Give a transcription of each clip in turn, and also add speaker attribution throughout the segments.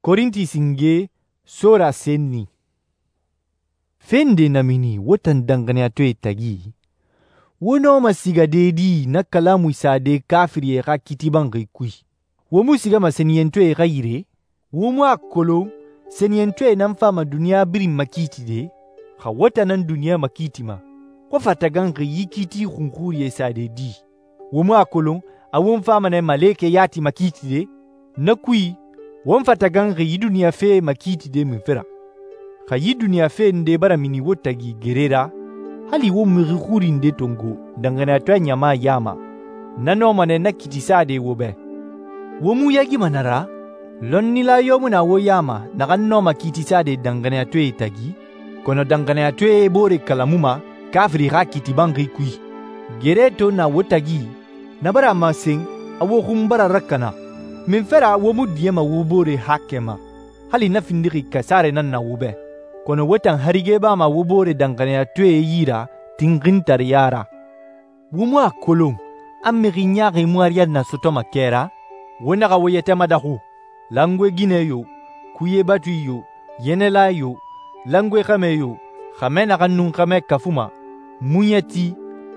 Speaker 1: Korinti singe sora senni. Fe nde na mini wo tan danxaniyatɔɛe tagi? Wo nɔma sigade di na kalamui sade kafirie xa kiiti banxi kui? Wo mu sigama sɛniyɛntɔɛe xa yire? Wo mu a kolon sɛniyɛntɔɛe nan fama duniɲa birin makiitide? Xa wo tan nan duniɲa makiitima, wo fa taganxi yi kiiti xunxurie sade di? Wo mu a kolon a won fama nɛ malekɛ yati makiitide? Na kui, won fa taganxi yi duniɲa fe makiitide munfe ra? Xa yi duniɲa fe nde bara mini wo tagi gere ra, hali wo mixi xuri nde tongo danxaniyatɔɛ ɲama ya ma, na nɔma nɛ na kiiti sade wo bɛ. Wo mu yaagima na ra? Lɔnnila yo mu na wo ya ma naxan nɔma kiiti sade danxaniyatɔɛe tagi, kɔnɔ danxaniyatɔɛe boore kalamuma kafiri xa kiiti banxi kui. Gere to na wo tagi, na bara a masen a wo xun bara rakana. Munfe ra wo mu diɲɛma wo boore haakɛ ma? Hali na findixi kasare nan na wo bɛ. Kɔnɔ wo tan harige bama wo boore danxaniyatɔɛe yi ra tinxintariya ra. Wo mu a kolon a mixi ɲaaxi mu ariyanna sɔtɔma kɛ ra? Wo naxa wo yɛtɛ madaxu. Langoe ginɛ yo, kuye batui yo, yɛnɛla yo, langoe xɛmɛ yo, xɛmɛ naxan nun xɛmɛ kafuma, muɲɛti,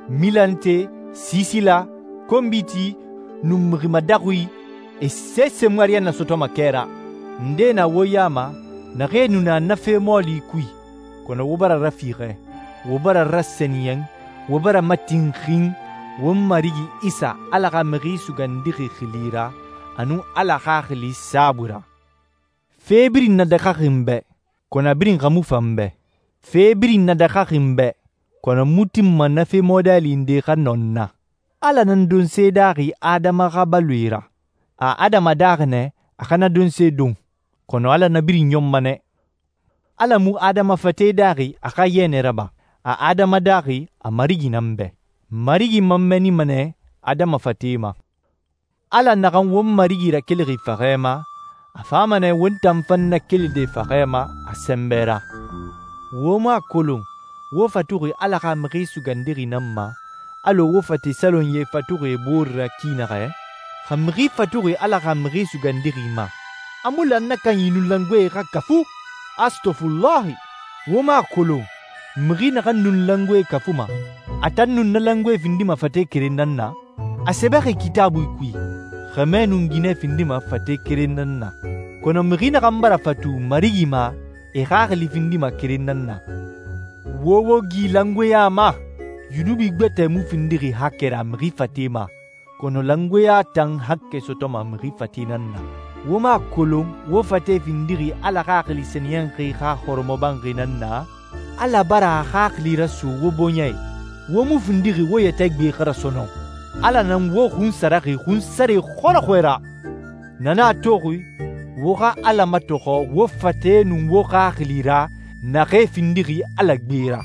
Speaker 1: milante, sisila, konbiti, nun mixi madaxui, e sese mu ariyanna sɔtɔma kɛ ra. Nde na wo ya ma naxee nu na na fe mɔɔli kui, kɔnɔ wo bara rafiixɛ, wo bara rasɛniyɛn, wo bara matinxin won Marigi Isa Ala xa Mixi Sugandixi xili ra, a nun Ala Xaxili saabui ra. Fe birin na daxaxi n bɛ, kɔnɔ a birin xa mu fan bɛ. Fe birin na daxaxi n bɛ, kɔnɔ mu tinma na fe mɔdɛli nde xa nɔ n na. Ala nan donse daaxi Adama xa baloe ra. A Adama daaxi nɛ a xa na donse don, kɔnɔ Ala na birin ɲɔnma nɛ. Ala mu Adama fate daaxi a xa yɛnɛ raba. A Adama daaxi a Marigi nan bɛ. Marigi man mɛnima nɛ Adama fate ma. Ala naxan won Marigi rakelixi faxɛ ma, a fama nɛ won tan fan nakelide faxɛ ma a sɛnbɛ ra. Wo mu a kolon wo fatuxi Ala xa Mixi Sugandixi nan ma, alɔ wo fate salonye fatuxi boore ra ki naxɛ? Xa mixi fatuxi Ala xa Mixi Sugandixi ma, a mu lan na kanyi nun langoe xa kafu? Astaghfirullahi! Wo mu a kolon mixi naxan nun langoe kafuma, a tan nun na langoe findima fate keren nan na? A sɛbɛxi Kitaabui kui, xɛmɛ nun ginɛ findima fate keren nan na. Kɔnɔ mixi naxan bara fatu Marigi ma, e xaxili findima keren nan na. Wo wo gi langoeya ma! Yunubi gbɛtɛ mu findixi hakkɛ ra mixi fate ma, kɔnɔ langoeya tan hakkɛ sɔtɔma mixi fate nan na. Wo ma kolon wo fate findixi Ala Xaxili Sɛniyɛnxi xa hɔrɔmɔbanxi nan na? Ala bara a xaxili raso wo bɔɲɛ. Wo mu findixi wo yɛtɛ gbe xa rasɔnɔ. Ala nan wo xun saraxi xunsare xɔrɔxɔɛ ra. Na nan a toxi, wo xa Ala matɔxɔ wo fate nun wo xaxili ra naxee findixi Ala gbe ra.